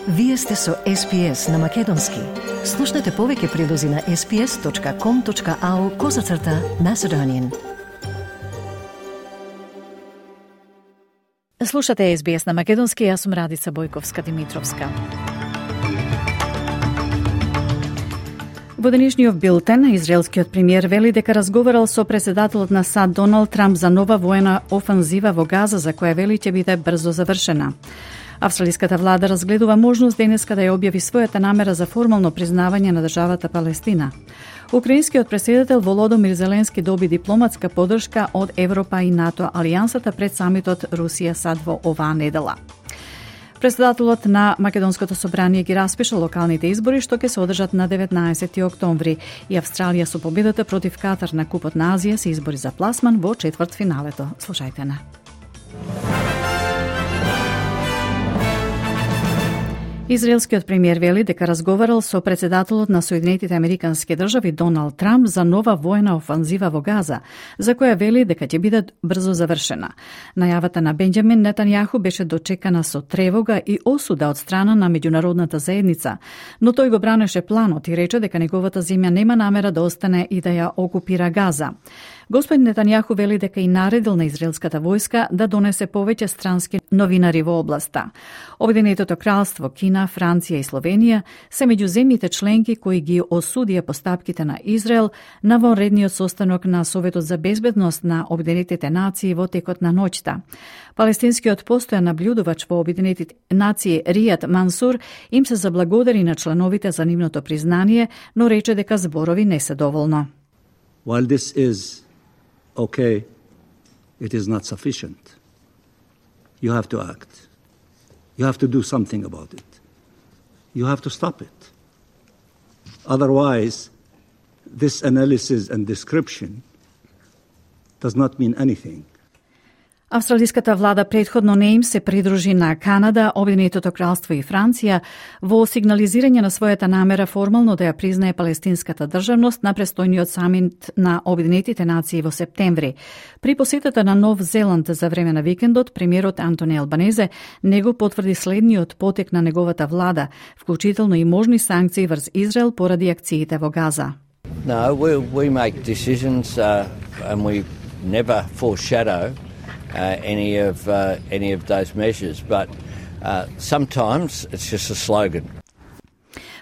Вие сте со SPS на Македонски. Слушнете повеќе прилози на sps.com.au/Macedonian. Слушате SBS на Македонски, јас сум Радица Бојковска-Димитровска. Во денешниот билтен, израелскиот премиер вели дека разговарал со председателот на САД Доналд Трамп за нова воена офанзива во Газа, за која вели ќе биде брзо завршена. Австралиската влада разгледува можност денеска да ја објави својата намера за формално признавање на државата Палестина. Украинскиот претседател Володомир Зеленски доби дипломатска поддршка од Европа и НАТО алијансата пред самитот Русија-САД во оваа недела. Председателот на Македонското собрание ги распиша локалните избори што ќе се одржат на 19 октомври и Австралија со победата против Катар на Купот на Азија се избори за пласман во четвртфиналето. Слушајте на. Израелскиот премиер вели дека разговарал со председателот на Соединетите Американски држави Доналд Трамп за нова воена офанзива во Газа, за која вели дека ќе биде брзо завршена. Најавата на Бенџамин Нетањаху беше дочекана со тревога и осуда од страна на меѓународната заедница, но тој го бранеше планот и рече дека неговата земја нема намера да остане и да ја окупира Газа. Господин Нетањаху вели дека и наредил на израелската војска да донесе повеќе странски новинари во областа. Обединетото кралство, Кина, Франција и Словенија се меѓу земјите членки кои ги осудија постапките на Израел на вонредниот состанок на Советот за безбедност на Обединетите нации во текот на ноќта. Палестинскиот постојан наблюдувач во Обединетите нации Ријад Мансур им се заблагодари на членовите за нивното признание, но рече дека зборови не се доволно. While this is okay, it is not sufficient. You have to act. You have to do something about it. You have to stop it. Otherwise, this analysis and description does not mean anything. Австралиската влада претходно не им се придружи на Канада, Обединетото кралство и Франција во сигнализирање на својата намера формално да ја признае палестинската државност на престојниот самит на Обединетите нации во септември. При посетата на Нов Зеланд за време на викендот, премиерот Антони Албанезе не го потврди следниот потек на неговата влада, вклучително и можни санкции врз Израел поради акциите во Газа. No, we make decisions and we never foreshadow any of those measures, but sometimes it's just a slogan.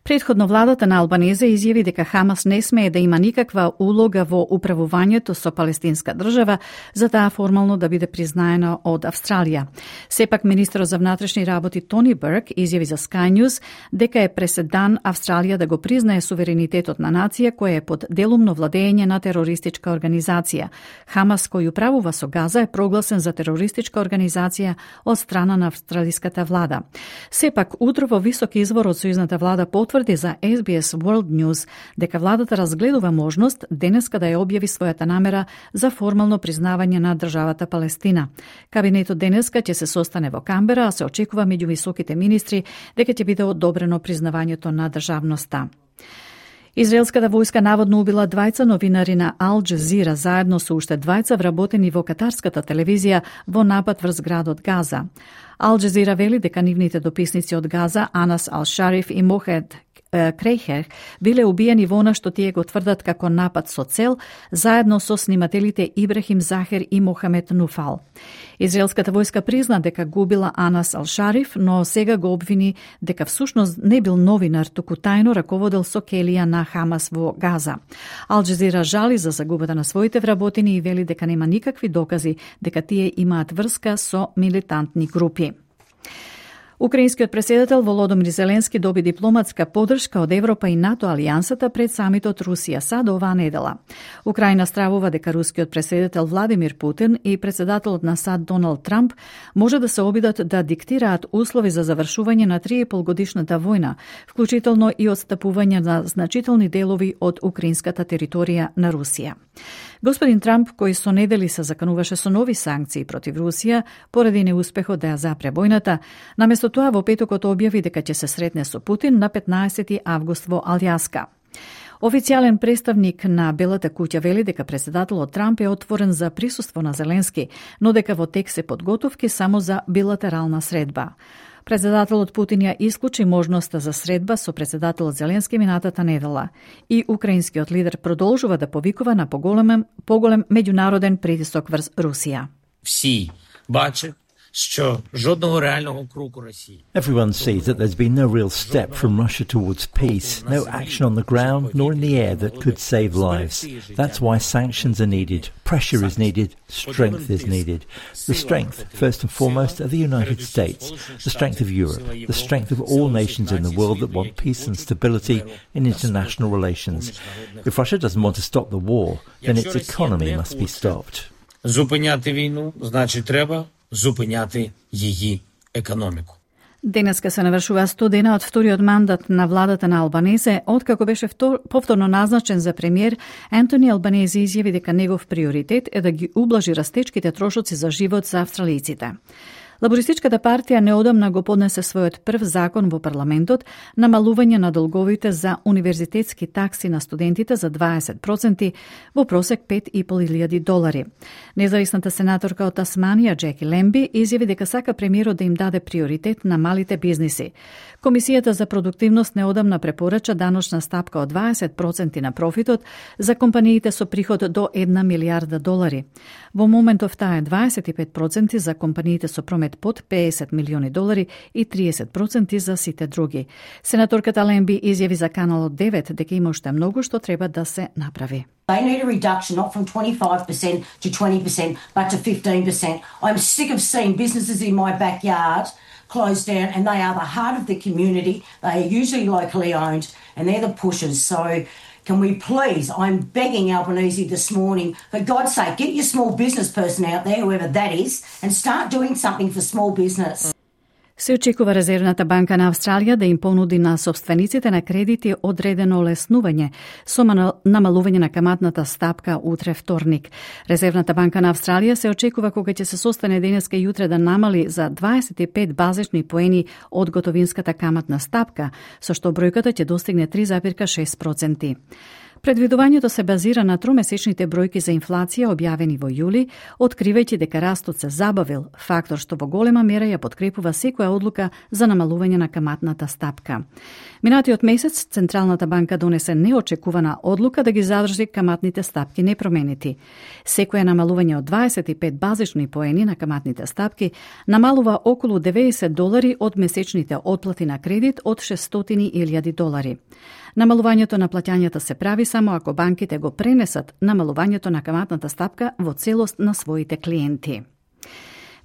Претходно владата на Албанезе изјави дека Хамас не смее да има никаква улога во управувањето со палестинска држава, за таа формално да биде признаена од Австралија. Сепак министерот за внатрешни работи Тони Бурк изјави за Sky News дека е преседан Австралија да го признае суверенитетот на нација која е под делумно владење на терористичка организација. Хамас, кој управува со Газа, е прогласен за терористичка организација од страна на австралиската влада. Сепак, утро во висок извор од сојузната влада потврди за SBS World News дека владата разгледува можност денеска да ја објави својата намера за формално признавање на државата Палестина. Кабинетот денеска ќе се состане во Камбера, а се очекува меѓу високите министри дека ќе биде одобрено признавањето на државноста. Израелската војска наводно убила двајца новинари на Ал Джазира заедно со уште двајца вработени во катарската телевизија во напад врз градот Газа. Ал Джазира вели дека нивните дописници од Газа, Анас Ал Шариф и Мохед Крейхер, биле убиени во она што тие го тврдат како напад со цел, заедно со снимателите Ибрахим Захер и Мохамед Нуфал. Израелската војска призна дека губила Анас Ал Шариф, но сега го обвини дека всушност не бил новинар, туку тајно раководел со келија на Хамас во Газа. Ал Джазира жали за загубата на своите вработени и вели дека нема никакви докази дека тие имаат врска со милитантни групи. Украинскиот претседател Володомир Зеленски доби дипломатска поддршка од Европа и НАТО алијансата пред самитот Русија-САД оваа недела. Украина стравува дека рускиот претседател Владимир Путин и претседателот на САД Доналд Трамп може да се обидат да диктираат услови за завршување на 3,5-годишната војна, вклучително и отстапување на значителни делови од украинската територија на Русија. Господин Трамп, кој со недели се закануваше со нови санкции против Русија поради неуспехот да ја запре војната, наместо тоа во петокот објави дека ќе се сретне со Путин на 15 август во Алјаска. Официјален представник на Белата куќа вели дека претседателот Трамп е отворен за присуство на Зеленски, но дека во тек се подготовки само за билатерална средба. Председателот Путин ја исклучи можноста за средба со председателот Зеленски минатата недела и украинскиот лидер продолжува да повикува на поголем меѓународен притисок врз Русија. Всі бачать, що жодного реального кроку Росії. Everyone sees that there's been no real step from Russia towards peace, no action on the ground nor in the air that could save lives. That's why sanctions are needed, pressure is needed, strength is needed. The strength, first and foremost, of the United States, the strength of Europe, the strength of all nations in the world that want peace and stability in international relations. If Russia doesn't want to stop the war, then its economy must be stopped. Зупиняти війну, значить треба зупиняти її економику. Денеска се навршува 100 дена од вториот мандат на владата на Албанезе, откако беше повторно назначен за премиер. Антони Албанезе изјави дека негов приоритет е да ги ублажи растечките трошоци за живот за австралијците. Лабористичката партија неодамна го поднесе својот прв закон во парламентот, намалување на долговите за универзитетски такси на студентите за 20%, во просек $5,500. Независната сенаторка од Тасманија, Джеки Лемби, изјави дека сака премиерот да им даде приоритет на малите бизниси. Комисијата за продуктивност неодамна препорача даночна стапка од 20% на профитот за компаниите со приход до $1 милиарда. Во моментов таа е 25% за компаниите со промет под $50 милиони и 30% за сите други. Сенаторката Лемби изјави за Каналот 9 дека има уште многу што треба да се направи. They need a reduction not from 25% to 20% but to 15%. I'm sick of seeing businesses in my backyard closed down, and they are the heart of the community. They are usually locally owned and they're the pushers. So can we please, I'm begging Albanese this morning, for God's sake, get your small business person out there, whoever that is, and start doing something for small business. Се очекува Резервната банка на Австралија да им понуди на сопствениците на кредити одредено олеснување со намалување на каматната стапка утре вторник. Резервната банка на Австралија се очекува кога ќе се состане денеска и утре да намали за 25 базични поени од готовинската каматна стапка, со што бројката ќе достигне 3,6%. Предвидувањето се базира на тромесечните бројки за инфлација објавени во јули, откривајќи дека растот се забавил, фактор што во голема мера ја подкрепува секоја одлука за намалување на каматната стапка. Минатиот месец Централната банка донесе неочекувана одлука да ги задржи каматните стапки непроменети. Секоја намалување од 25 базични поени на каматните стапки намалува околу $90 од месечните отплати на кредит од $600,000. Намалувањето на плаќањата се прави само ако банките го пренесат намалувањето на каматната стапка во целост на своите клиенти.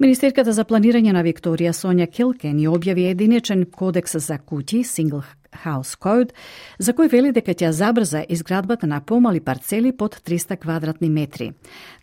Министерката за планирање на Викторија Сонја Килкен ја објави единечен кодекс за куќи, Single House Code, за кој вели дека ќе забрза изградбата на помали парцели под 300 квадратни метри.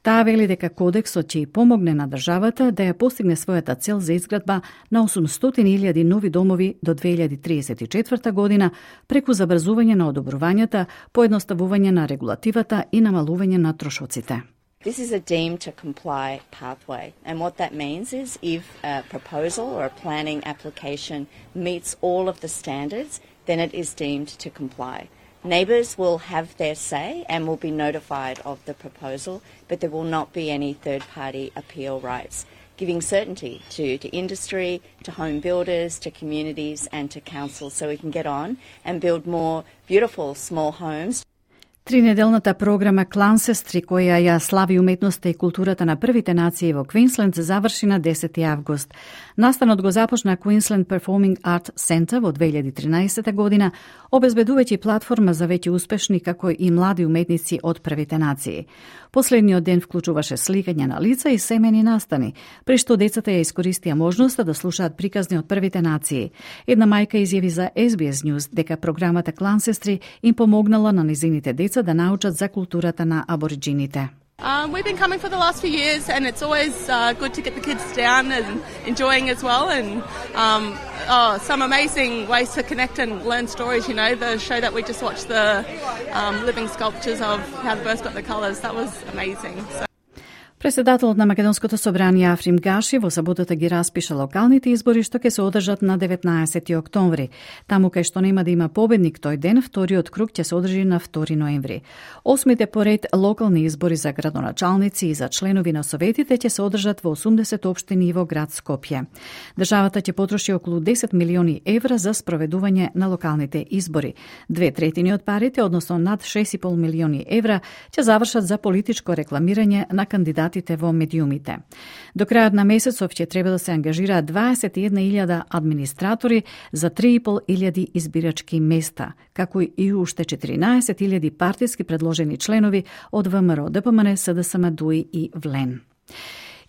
Таа вели дека кодексот ќе помогне на државата да ја постигне својата цел за изградба на 800,000 нови домови до 2034 година преку забрзување на одобрувањата, поедноставување на регулативата и намалување на трошоците. This is a deemed to comply pathway, and what that means is if a proposal or a planning application meets all of the standards, then it is deemed to comply. Neighbours will have their say and will be notified of the proposal, but there will not be any third-party appeal rights, giving certainty to industry, to home builders, to communities and to councils so we can get on and build more beautiful small homes. Тринеделната програма Клансестри, која ја слави уметноста и културата на првите нации во Квинсленд, заврши на 10 август. Настанот го започна Queensland Performing Art Center во 2013 година, обезбедувајќи платформа за веќе успешни како и млади уметници од првите нации. Последниот ден вклучуваше сликање на лица и семени настани, при што децата ја искористија можноста да слушаат приказни од првите нации. Една мајка изјави за SBS News дека програмата Клансестри им помогнала на незините деца да научат за културата на абориджините. We've been coming for the last few years, and it's always good to get the kids down and enjoying as well. And some amazing ways to connect and learn stories. You know, the show that we just watched, the living sculptures of how the birds got the colours. That was amazing. So. Председателот на Македонското собрание Африм Гаши во саботата ги распиша локалните избори што ќе се одржат на 19 октомври. Таму кај што нема да има победник тој ден, вториот круг ќе се одржи на 2 ноември. Осмите поред локални избори за градоначалници и за членови на советите ќе се одржат во 80 општини во град Скопје. Државата ќе потроши околу 10 милиони евра за спроведување на локалните избори. 2/3 од парите, односно над 6,5 милиони евра, ќе завршат за политичко рекламирање на кандидатите во медиумите. До крајот на месецов ќе треба да се ангажираат 21.000 администратори за 3.500 избирачки места, како и уште 14.000 партиски предложени членови од ВМРО, ДПМН, СДСМ, ДУИ и ВЛЕН.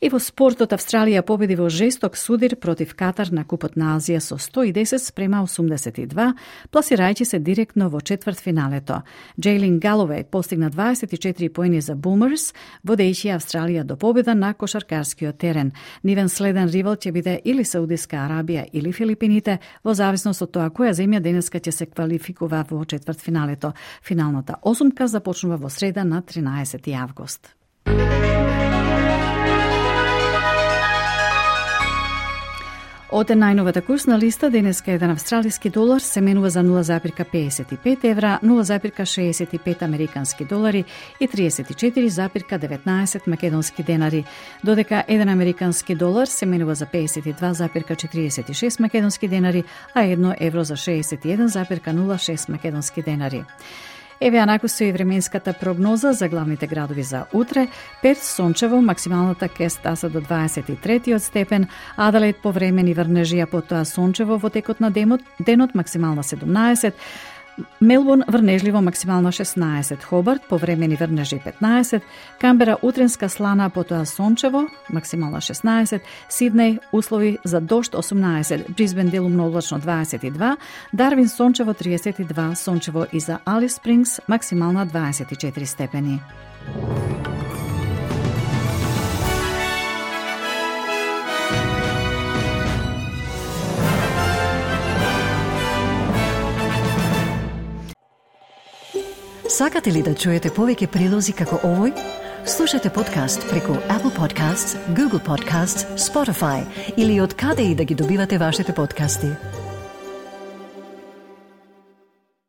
И во спортот Австралија победи во жесток судир против Катар на Купот на Азија со 110-82, пласирајќи се директно во четвртфиналето. Джейлин Галовеј постигна 24 поени за Бумерс, водејќи Австралија до победа на кошаркарскиот терен. Нивен следен ривал ќе биде или Саудиска Арабија или Филипините, во зависност од тоа која земја денеска ќе се квалификува во четвртфиналето. Финалната осумка започнува во среда на 13 август. Од најновата курсна листа, денеска еден австралиски долар се менува за 0,55 евра, 0,65 американски долари и 34,19 македонски денари, додека еден американски долар се менува за 52,46 македонски денари, а 1 евро за 61,06 македонски денари. Еве анаку се и временската прогноза за главните градови за утре. Перт сончево, максималната ке стаса до 23 степен, Аделаид повремени врнежија, потоа сончево во текот на денот, максимална 17, Мелбурн врнежливо, максимална 16, Хобарт повремени врнежи 15, Камбера утренска слана, потоа сончево, максимална 16, Сиднеј услови за дожд 18, Брисбен делумно облачно 22, Дарвин сончево 32, сончево и за Алис Спрингс, максимална 24 степени. Сакате ли да чуете повеќе прилози како овој? Слушате подкаст преку Apple Podcasts, Google Podcasts, Spotify или од каде и да ги добивате вашите подкасти.